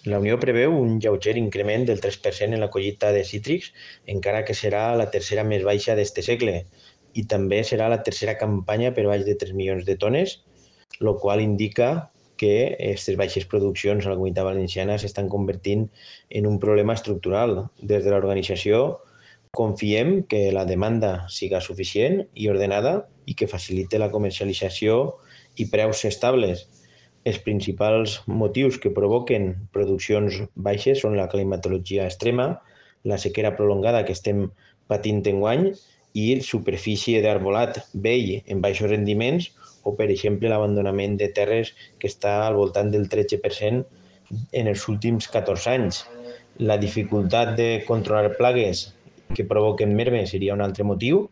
La Unió preveu un lleuger increment del 3% en la collita de cítrics, encara que serà la tercera més baixa d'este segle, i també serà la tercera campanya per baix de 3 milions de tones, el qual indica que aquestes baixes produccions a la Comunitat Valenciana s'estan convertint en un problema estructural. Des de l'organització confiem que la demanda siga suficient i ordenada i que facilite la comercialització i preus estables. Els principals motius que provoquen produccions baixes són la climatologia extrema, la sequera prolongada que estem patint enguany i superfície d'arbolat vell en baixos rendiments o, per exemple, l'abandonament de terres que està al voltant del 13% en els últims 14 anys. La dificultat de controlar plagues que provoquen merme seria un altre motiu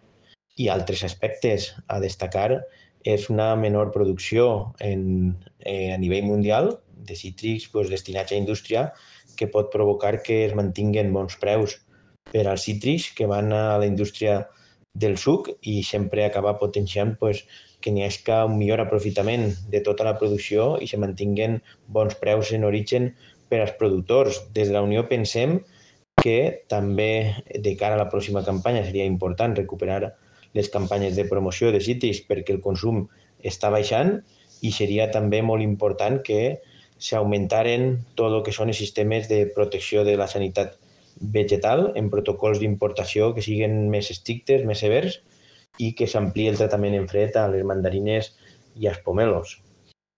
i altres aspectes a destacar és una menor producció a nivell mundial de cítrics destinats a indústria que pot provocar que es mantinguen bons preus per als cítrics que van a la indústria del suc i sempre acabar potenciant que n'hi hagi un millor aprofitament de tota la producció i se mantinguen bons preus en origen per als productors. Des de la Unió pensem que també de cara a la pròxima campanya seria important recuperar les campanyes de promoció de cítrics perquè el consum està baixant i seria també molt important que s'augmentaren tot el que són els sistemes de protecció de la sanitat vegetal en protocols d'importació que siguin més estrictes, més severs i que s'ampliï el tractament en fred a les mandarines i als pomelos.